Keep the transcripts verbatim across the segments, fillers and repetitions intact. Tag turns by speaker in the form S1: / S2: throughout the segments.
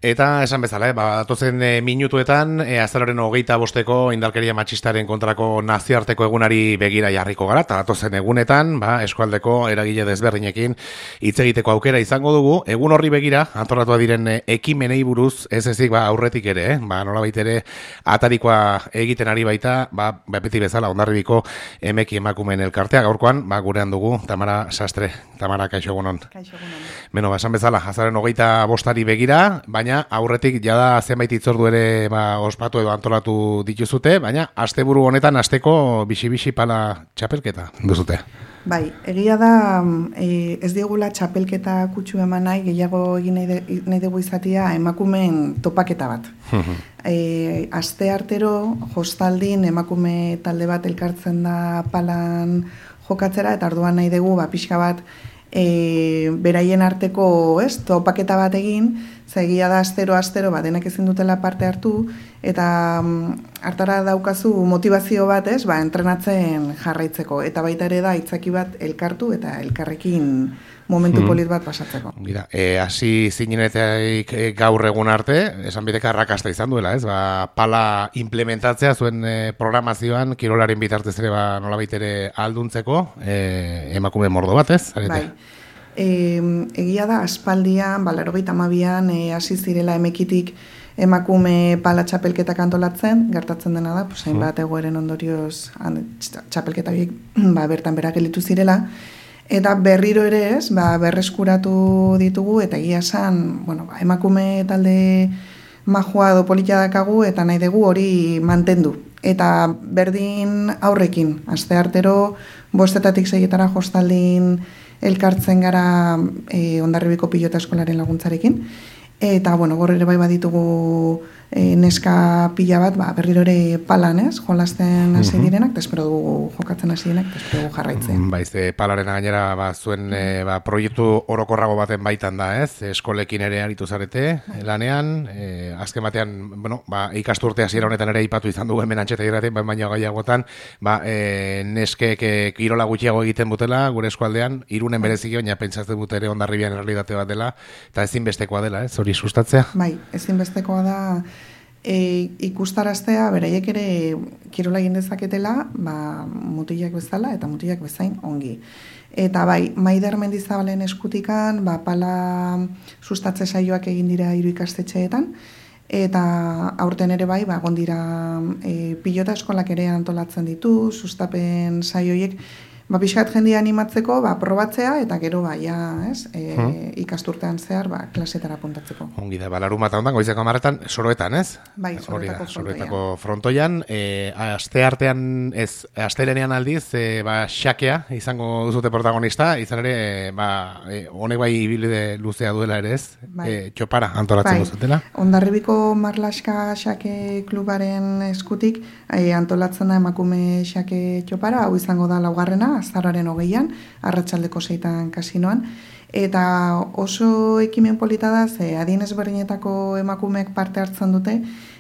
S1: Eta esan bezala, eh, ba, datozen e, minutuetan, e, azaroren hogeita bosteko indarkeria matxistaren kontrako nazioarteko egunari begira jarriko gara, eta datozen egunetan, ba, eskualdeko eragile desberdinekin hitz egiteko aukera izango dugu, egun horri begira, antolatua diren e, ekimenei buruz, ez ezik, ba, aurretik ere, eh, ba, nolabait ere, atarikoa egiten ari baita, ba, beti bezala, Hondarribiko emeki emakumeen elkartea, gaurkoan, ba, gurean dugu, Tamara Sastre. Tamara, kaixo egunon.
S2: Kaixo egunon.
S1: Beno, ba, esan bezala, azaroren hogeita bostari begira, baina aurretik jada zenbait hitzordu ere ba, ospatu edo antolatu dituzute, baina asteburu honetan asteko bixi-bixi pala txapelketa duzute.
S2: Bai, egia da e, ez digula txapelketa kutsu eman nahi, gehiago egin nahi, de, nahi dugu izatea emakumeen topaketa bat. e, aste artero, jostaldin emakume talde bat elkartzen da palan jokatzera, eta orduan nahi dugu ba, pixka bat E, beraien arteko ez, topaketa bat egin, zegia da astero-astero ba, denak ezin dutela parte hartu, eta mm, hartara daukazu motivazio bat ez, ba, entrenatzen jarraitzeko, eta baita ere da itzaki bat elkartu eta elkarrekin momentu polit bat pasatzeko.
S1: Gira, e, hasi zinenetik e, gaur egun arte, esan bideka arrakasta izan duela, ez? Ba, pala implementatzea zuen e, programazioan, kirolaren bitartez ere ba, nolabait ere alduntzeko, e, emakume mordo bat, ez? Arete?
S2: Bai. E, egia da, aspaldian, ba, laurogeita hamabian, e, hasi zirela emekitik emakume pala txapelketak antolatzen, gertatzen dena da, pues, hainbat egoeren ondorioz txapelketa horiek ba, bertan bera gelitu zirela, eta berriro ere ez, ba, berreskuratu ditugu, eta egia esan, bueno, ba, emakume talde majua edo polita dakagu, eta nahi dugu hori mantendu. Eta berdin aurrekin, aste artero, bostetatik seietara jostaldin elkartzen gara e, Hondarribiko pilota eskolaren laguntzarekin, eta, bueno, gor ere bai baditugu e, neska pila bat, ba, berriro ere palan, ez, jolasten hasi direnak, eta espero dugu jokatzen hasi direnak, eta espero dugu jarraitzen.
S1: Baiz, e, palaren gainera, ba, zuen e, ba, proiektu orokorrago baten baitan da, ez, eskolekin ere aritu zarete, lanean, e, azken batean, bueno, ba, ikasturte hasiera honetan ere ipatu izan dugu hemen antxeta irraten, baina gaiagotan, ba, e, neskek e, kirola gutxiago egiten butela, gure eskualdean, Irunen bereziki, baina pentsatzen dut ere Hondarribian errealitate bat dela, eta ezinbestekoa dela, ez, hori sustatzea?
S2: Bai, ezinbestekoa da e, ikustaraztea, beraiek ere kirola egin dezaketela, ba, mutilak bezala eta mutilak bezain ongi. Eta bai, Maider Mendizabalen eskutikan, ba, pala sustatze saioak egin dira hiru ikastetxeetan, eta aurten ere bai, ba, gondira e, pilota eskolak ere antolatzen ditu, sustapen saioiek, ba, pixkat jendia animatzeko, ba, probatzea, eta gero, ba, ja, ez, e, hmm. ikasturtean zehar, ba, klasetara puntatzeko.
S1: Ongi da, ba, larumata ondan, goizeko amaretan, Soroetan, ez?
S2: Bai, Soroetako frontoian.
S1: Soroetako frontoian, e, aste artean, ez, astelenean aldiz, e, ba, xakea, izango duzute protagonista, izan ere, e, ba, e, honek bai ibilbide luzea duela ere, ez? Bai. E, txopara antolatzen bai. Duzutela.
S2: Hondarribiko Marlaska xake klubaren eskutik, e, antolatzen da emakume xake txopara, hau izango da laugarrena, azaroaren hogeian, arratsaldeko seitan kasinoan, eta oso ekimen polita da, ze adin ezberdinetako emakumeek parte hartzen dute,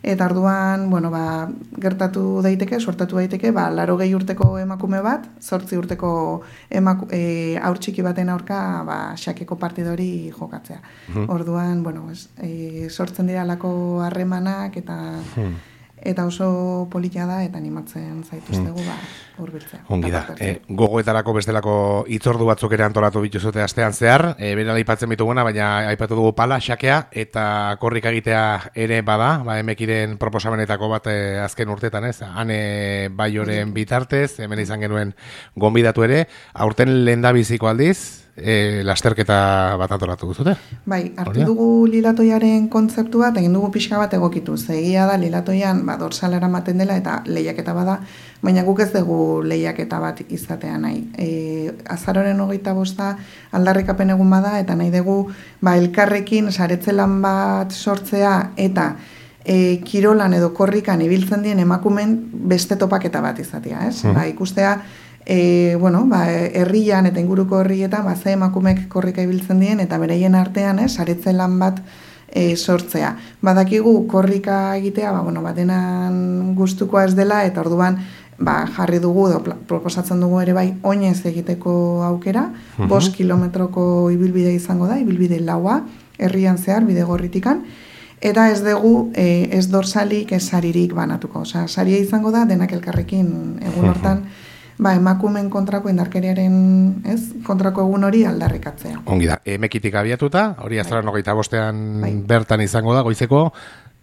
S2: eta orduan, bueno, ba, gertatu daiteke, sortatu daiteke, ba, laurogei urteko emakume bat, zortzi urteko emaku, e, haur txiki baten aurka, ba, xakeko partidori jokatzea. Hmm. Orduan, bueno, es, e, sortzen dira lako harremanak, eta... Hmm. Eta oso politia da, eta animatzen zaituztegu, ba, hurbiltzea.
S1: Ongi da. E, gogoetarako bestelako hitzordu batzuk ere antolatu bituzute astean zehar, e, bera aipatzen bituguna, baina aipatu dugu pala, xakea, eta korrika egitea ere bada, ba, emekiren proposamenetako bat e, azken urtetan, ez? Hane Baioren bitartez, hemen izan genuen gonbidatu ere, aurten lehendabiziko aldiz, E, lasterketa bat antolatu duzute?
S2: Bai, hartu Oria? dugu lilatoiaren kontzeptu bat, egin dugu pixka bat egokitu. Egia da, lilatoian ba, dorsalara ematen dela eta lehiaketa bada, baina guk ez dugu lehiaketa bat izatea nahi. E, azaroren hogeita bosta aldarrikapen egun bada, eta nahi dugu ba, elkarrekin saretzelan bat sortzea, eta e, kirolan edo korrikan ibiltzen dien emakumen beste topaketa bat izatea, ez? Mm. Ba, ikustea, E, bueno, ba, herrian eta inguruko herrietan ba, ze emakumek korrika ibiltzen dien eta bereien artean, eh, saretze lan bat e, sortzea. Badakigu korrika egitea, ba, bueno, batenan gustukoa ez dela, eta orduan ba, jarri dugu, edo proposatzen dugu ere bai, oinez egiteko aukera, uh-huh. bost kilometroko ibilbide izango da, ibilbide laua, herrian zehar, bide gorritikan, Eta ez dugu e, ez dorsalik, ez saririk banatuko. Osea, saria izango da denak elkarrekin egun hortan, ba, emakumen kontrako indarkeriaren, ez, kontrako egun hori aldarrikatzea.
S1: Ongi da, emekitik abiatuta, hori azaran hogeita bostean bai. Bertan izango da, goizeko,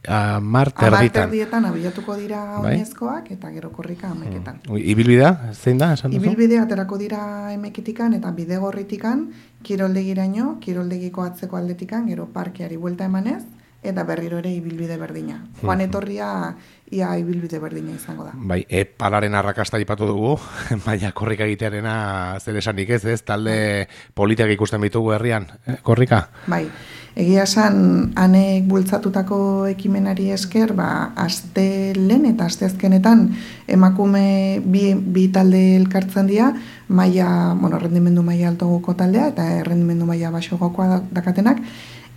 S1: amar terdietan.
S2: Amar terdietan abiatuko dira oinezkoak, eta gero korrika ameketan.
S1: Hmm. Ibilbidea, zein da, esan duzu?
S2: Ibilbidea aterako dira emekitikan, eta bidegorritikan, kiroldegiraino, kiroldegiko atzeko aldetikan, gero parkeari buelta emanez, eta berriro ere ibilbide berdina. Joan etorria ia ibilbide berdina izango da.
S1: Bai, e, palaren arrakasta ipatu dugu, baina korrika egitearena zer esanik ez, ez? Talde politiak ikusten bitugu herrian, eh, korrika?
S2: Bai, egia esan anek bultzatutako ekimenari esker, ba, aste lehen eta aste azkenetan emakume bi, bi talde elkartzen dira, maila, bueno, rendimendu maila altoguko taldea eta rendimendu maila baxogokoa dakatenak,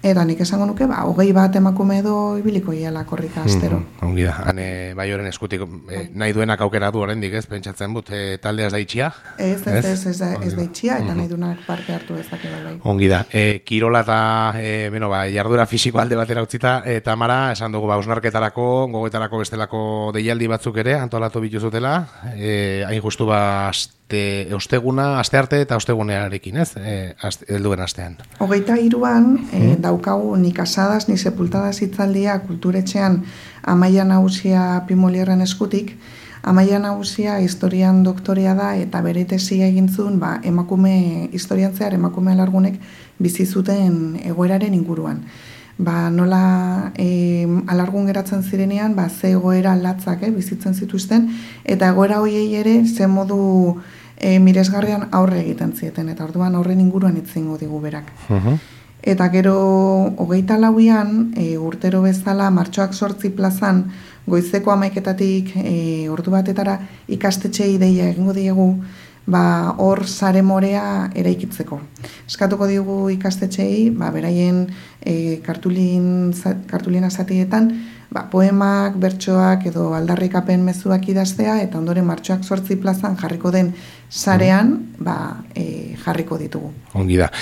S2: eta nik esango nuke, ba, hogei bat emakume edo ibiliko iala korrika astero.
S1: Mm, ongi da, hane bai horren eskutik, eh, nahi duenak aukera du oraindik ez, pentsatzen but, eh, taldea ez da itxia?
S2: Ez, ez, ez, ez, ez, ez da itxia, eta nahi duenak parte hartu ezake bai.
S1: Ongi da, eh, kirola eta, eh, bueno, ba, jardura fisiko alde batera utzita, eta eh, Tamara, esan dugu, ba, osnarketarako, gogoetarako bestelako deialdi batzuk ere, antolatu bituzutela, eh, hain justu ba, Te, osteguna, aste arte eta ostegunearekin, ez? E, aste, helduen astean.
S2: Hogeita hiruan e, daukagu ni kasadas, ni sepultadas hitzaldia kulturetxean Amaia Nagusia Pimolierren eskutik. Amaia Nagusia historian doktorea da eta bere tesia egin zuen, ba, emakume historian zehar emakume alargunek bizi zuten egoeraren inguruan. Ba, nola e, alargun geratzen zirenean, ba, ze egoera latzak eh, bizitzen zituzten, eta egoera hoiei ere ze modu e, miresgarrian aurre egiten zieten, eta orduan aurren inguruan itzingo digu berak. Uh-huh. Eta gero hogeita lauian, e, urtero bezala, martxoak sortzi plazan, goizeko hamaiketatik e, ordu batetara ikastetxei deia egingo diegu, ba, hor sare morea eraikitzeko. Eskatuko digu ikastetxei, ba, beraien e, kartulin, kartulina zatietan, ba, poemak, bertsoak edo aldarrikapen mezuak idaztea, eta ondoren martxoak sortzi plazan jarriko den sarean, ba, e, jarriko ditugu.
S1: Ongi da.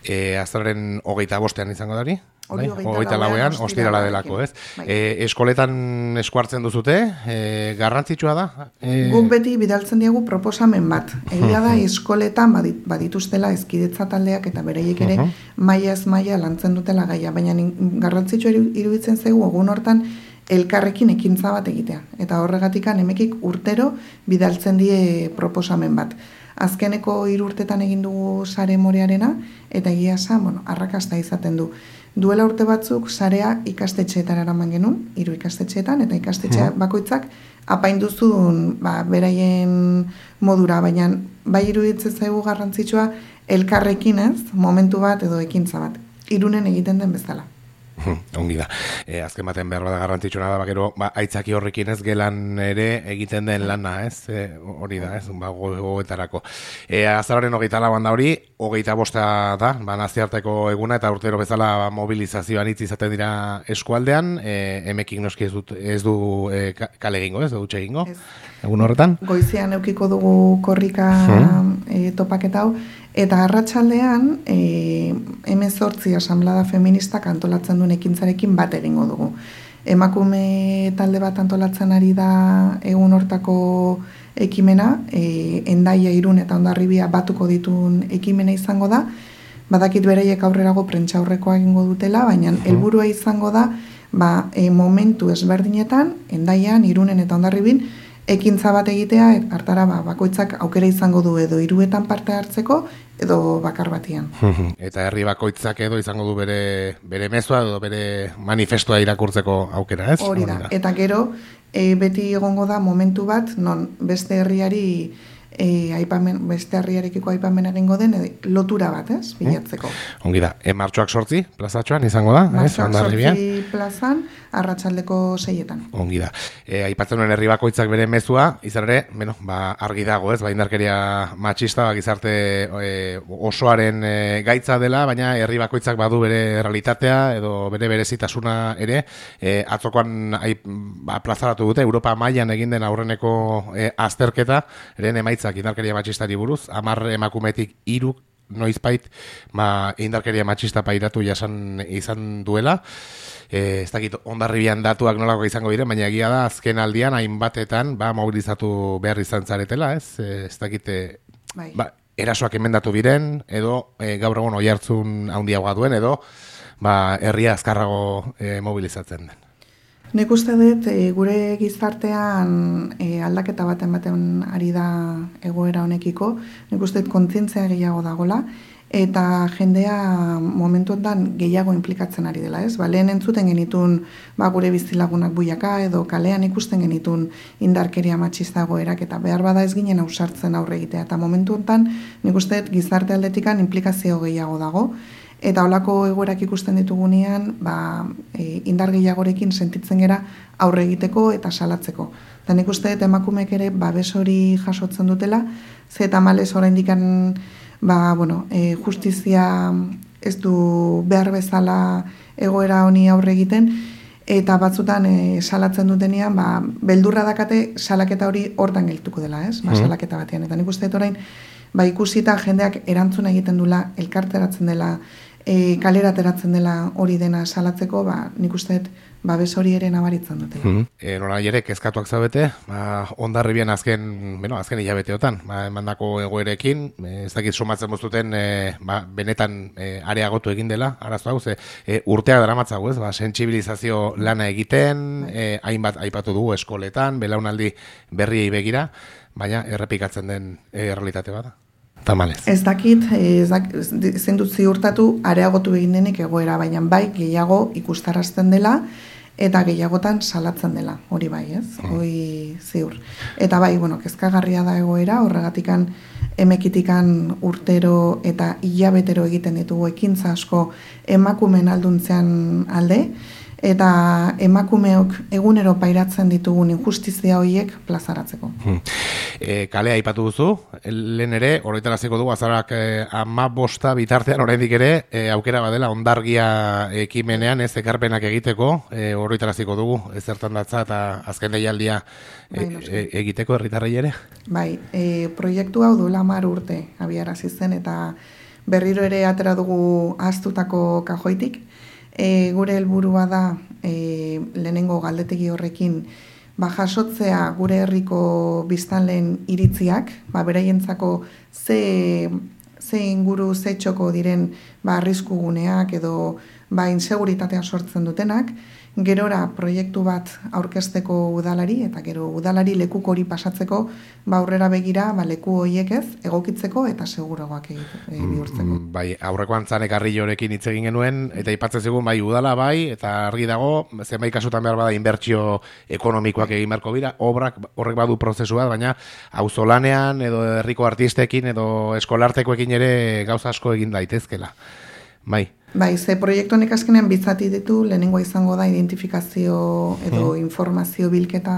S1: E, azaren hogeita bostean izango dari?
S2: Bai?
S1: Hogeita lauean, ostirala delako, ez? Bai. E, eskoletan eskuartzen duzute, e, garrantzitsua da? E...
S2: Guk beti bidaltzen diegu proposamen bat. Egia da, eskoletan badituztela ezkidetza taldeak eta bereiek ere uh-huh. maila ez maila lantzen dutela gaia, baina garrantzitsua iruditzen zaigu egun hortan elkarrekin ekintza bat egitea. Eta horregatikan emekik urtero bidaltzen die proposamen bat. Azkeneko hiru urtetan egin dugu sare morearena, eta egia esan, bueno, arrakasta izaten du. Duela urte batzuk sarea ikastetxeetan eraman genuen, hiru ikastetxeetan, eta ikastetxe bakoitzak apainduzun ba, beraien modura, baina bai iruditzen zaigu garrantzitsua elkarrekin ez, momentu bat edo ekintza bat, irunen egiten den bezala.
S1: Ongi da. E, azken baten behar bada garrantzitsuna da, bakero, ba, aitzaki horrekin ez gelan ere egiten den lana, ez? E, hori da, ez? Ba, gogoetarako. E, azararen hogeita lauan da hori, hogeita bosta da, ba, naziarteko eguna, eta urtero bezala ba, mobilizazioan hitz izaten dira eskualdean, e, emekik noski ez, dut, ez du e, kale egingo, ez? Dutxe egingo, egun horretan?
S2: Goizean eukiko dugu korrika hmm. e, topaketa hau, eta arratsaldean e, hemezortzi asamblada feministak antolatzen duen ekintzarekin bat egingo dugu. Emakume talde bat antolatzen ari da egun hortako ekimena, e, Hendaia, Irun eta Hondarribia batuko dituen ekimena izango da, badakit beraiek aurrerago prentsaurrekoa egingo dutela, baina helburua izango da ba, e, momentu ezberdinetan, Hendaian, Irunen eta Hondarribin, ekintza bat egitea, hartara ba, bakoitzak aukera izango du edo hiruetan parte hartzeko, edo bakar batian.
S1: Eta herri bakoitzak edo izango du bere, bere mezua edo bere manifestua irakurtzeko aukera, ez?
S2: Hori da, eta gero, e, beti egongo da momentu bat, non beste herriari E, aipamen, beste herriarekiko aipamen egingo den e, lotura bat, ez, bilatzeko.
S1: Mm. Ongi da, e, martxoak sortzi, plazatxoan izango da?
S2: Martxoak sortzi plazan, arratsaldeko seietan.
S1: Ongi da. E, aipatzen duen herri bakoitzak bere mezua, izan ere, bueno, ba, argi dago, ez, ba, indarkeria matxista, ba, gizarte e, osoaren e, gaitza dela, baina herri bakoitzak badu bere realitatea, edo bere berezitasuna ere, e, atzokoan ai, ba, plazaratu dute, Europa mailan egin den aurreneko e, azterketa, eren emaitza indarkeria matxistari buruz, hamar emakumetik hiru noizbait ba, indarkeria matxista pairatu jasan izan duela. E, ez dakit Hondarribian datuak nolako izango diren, baina egia da azken aldian hainbatetan ba, mobilizatu behar izan zaretela, ez? E, ez dakit bai. Ba, erasoak emendatu biren, edo e, gaur egun oihartzun handiagoa duen, edo ba, herria azkarrago e, mobilizatzen den.
S2: Nik uste dut, e, gure gizartean e, aldaketa baten baten ari da egoera honekiko, nik uste dut kontzientzia gehiago dagola, eta jendea momentu honetan gehiago implikatzen ari dela, ez? Ba, lehen entzuten genitun ba, gure bizilagunak buiaka, edo kalean ikusten genitun indarkeria matxista egoerak, eta behar bada ez ginen ausartzen aurre egitea. Eta momentu honetan, nik uste dut gizarte aldetikan implikazio gehiago dago, eta holako egoerak ikusten ditugunean, ba, e, indar gehiagorekin sentitzen gera aurre egiteko eta salatzeko. Eta nik uste dut emakumeek ere babes hori jasotzen dutela, ze eta malez oraindikan ba, bueno, e, justizia ez du behar bezala egoera honi aurre egiten, eta batzutan e, salatzen dutenean, ba, beldurra dakate salaketa hori hortan geltuko dela, ez? Ba, salaketa batean. Eta nik uste dut orain, ba, ikusita jendeak erantzuna egiten dula, elkarteratzen dela, e, kalera ateratzen dela hori dena salatzeko, ba, nik uste dut babes hori ere nabaritzen dutela.
S1: Mm -hmm. E, Nora ere, kezkatuak zaudete, ba, Hondarribian azken, bueno, azken hilabeteotan, ba, emandako egoerekin, e, ez dakit somatzen boztuten, e, ba, benetan e, areagotu egin dela, arazo hau, ze, e, urteak daramatzago, ez, ba, sentsibilizazio lana egiten, e, hainbat aipatu dugu eskoletan, belaunaldi berriei begira, baina errepikatzen den e, realitate bada. Tamalez.
S2: Ez dakit, ez dakit, ezin dut ziurtatu areagotu egin denik egoera, baina bai gehiago ikustarazten dela eta gehiagotan salatzen dela, hori bai, ez? Mm. Hori ziur. Eta bai, bueno, kezkagarria da egoera, horregatikan emekitikan urtero eta hilabetero egiten ditugu ekintza asko emakumen alduntzean alde, eta emakumeok egunero pairatzen ditugun injustizia horiek plazaratzeko.
S1: Hmm. E, kalea aipatu duzu, lehen ere, horretaraziko dugu, azarak e, ama bosta bitartean oraindik ere, e, aukera badela Hondargia ekimenean ez ekarpenak egiteko, e, horretaraziko dugu, ezertan datza eta azken deialdia e, bai, e, egiteko herritarrei ere?
S2: Bai, e, proiektu hau duela hamar urte abiarazi zen, eta berriro ere atera dugu ahaztutako kajoitik. E, gure helburua da e, lehenengo galdetegi horrekin ba, jasotzea gure herriko biztanleen iritziak, ba, beraientzako ze, ze inguru, ze txoko diren ba, arrisku guneak edo ba, inseguritatea sortzen dutenak, gerora proiektu bat aurkezteko udalari, eta gero udalari lekuk hori pasatzeko ba, aurrera begira ba, leku horiek ez, egokitzeko eta seguroak bihurtzeko.
S1: Bai, aurreko antzan ekarrillorekin hitz egin genuen, eta aipatzen zigun bai udala bai, eta argi dago, zenbait kasutan behar bada inbertsio ekonomikoak egin beharko dira, obrak horrek badu prozesu bat, baina auzolanean edo herriko artistekin edo eskolartekoekin ere gauza asko egin daitezkela. Bai.
S2: Bai, ze proiektu honek azkenean bitzati ditu, lehenengoa izango da identifikazio edo hmm. informazio bilketa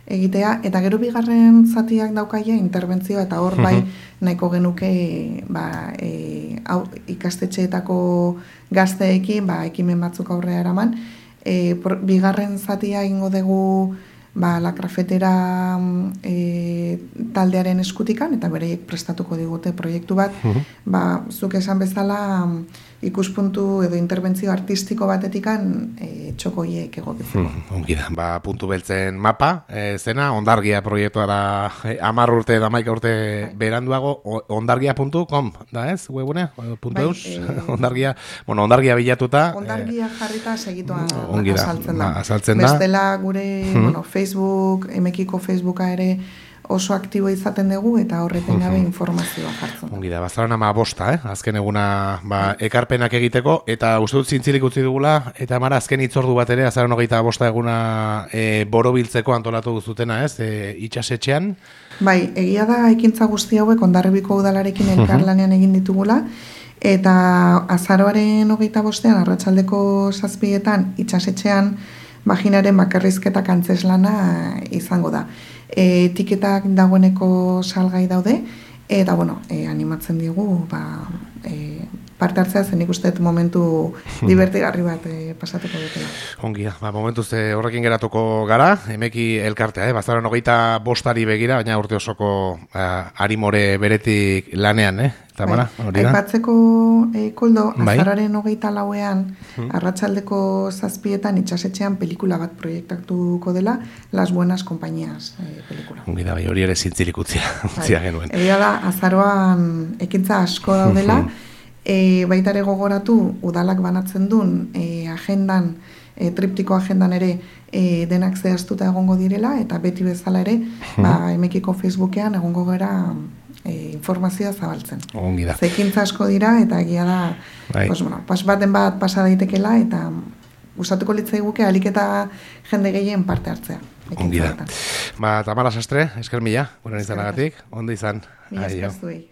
S2: egitea, eta gero bigarren zatiak daukaia interbentzioa, eta hor bai nahiko genuke ba, e, au, ikastetxeetako gazteekin ba, ekimen batzuk aurrea eraman. E, por, bigarren zatia ingo dugu ba, la krafetera e, taldearen eskutikan, eta bereiek prestatuko digute proiektu bat, uh-huh. ba, zuk esan bezala ikuspuntu edo interbentzio artistiko batetikan e, txokoiek egokitzeko.
S1: Hmm, ongi da, ba, puntu beltzen mapa, e, zena, Hondargia proiektua da e, amar urte, damaika urte beranduago, hondargia puntu com, da ez, webune, puntu bai, eus, e, Hondargia, bueno, Hondargia bilatuta.
S2: Hondargia e, jarrita segituan
S1: da,
S2: azaltzen da.
S1: Ba, azaltzen da.
S2: Bestela gure, hmm. bueno, Facebook, emekiko Facebooka ere, oso aktibo izaten dugu eta horreten gabe informazioa jartzen.
S1: Ongi da, bazaran ama bosta, eh? Azken eguna ba, ekarpenak egiteko, eta uste dut zintzilik utzi dugula, eta mara azken itzordu bat ere, azaran hogeita bosta eguna e, borobiltzeko antolatu duzutena, ez? E, itxasetxean?
S2: Bai, egia da ekintza guzti hauek Hondarribiko udalarekin elkarlanean egin ditugula, eta azaroaren hogeita bostean, arratsaldeko zazpietan, itxasetxean, vaginaren bakarrizketak antzeslana izango da. E, etiketak dagoeneko salgai daude, eta bueno, e, animatzen digu ba, e, parte hartzea, zenik uste momentu divertigarri bat e, pasatuko dutela.
S1: Ongi da, ba, momentuz e, horrekin geratuko gara, emeki elkartea, eh? Bazaron hogeita bostari begira, baina urte osoko uh, arimore beretik lanean, eh? Tamara, hori da?
S2: Aipatzeko e, koldo,
S1: bai?
S2: azararen hogeita lauean, hmm. arratsaldeko zazpietan itxasetxean pelikula bat proiektatuko dela, Las Buenas Compañías e, pelikula.
S1: Ongi da, bai, hori ere zintzirik utzia, utzia bai. Genuen.
S2: Egia da, azaroan ekintza asko daudela, e, baita ere gogoratu, udalak banatzen duen e, agendan, e, triptiko agendan ere e, denak zehaztuta egongo direla, eta beti bezala ere, ba, emekiko Facebookean egongo gara E, informazioa zabaltzen.
S1: Ongi da.
S2: Zekintza asko dira, eta egia da, pues, bueno, pas baten bat pasa daitekela, eta gustatuko litzaiguke alik eta jende gehien parte hartzea.
S1: Ongi da. Ba, Tamara Sastre, esker mila, gure izanagatik, ondo izan.
S2: Mila esker zuei.